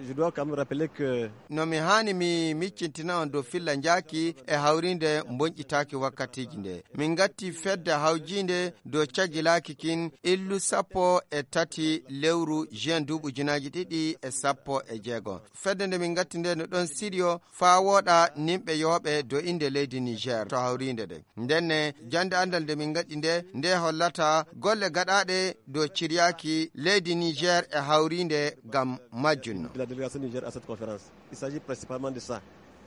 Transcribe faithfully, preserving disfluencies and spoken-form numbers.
Je dois quand même rappeler que No mi haani mi miccintina on dow filla njaaki e hawriinde mbonƴitaaki wakkatiiji nde. Min ngatti fedde hawjiinde dow cagilaaki kin illu sappo e tati lewru juin duuɓi ujunaaji ɗiɗi e sappo e jeego. Fedde nde min ngatti nde no ɗon siriyo faa wooɗa nimɓe yooɓe dow innde leydi Niger to hawriinde nde. Ndenne jannde anndal nde min ngaɗi nde, nde hollata golle gaɗaaɗe dow ciryaaki leydi Niger e hawriinde ngam majjunno. De la délégation du Niger à cette conférence. Il s'agit principalement de ça.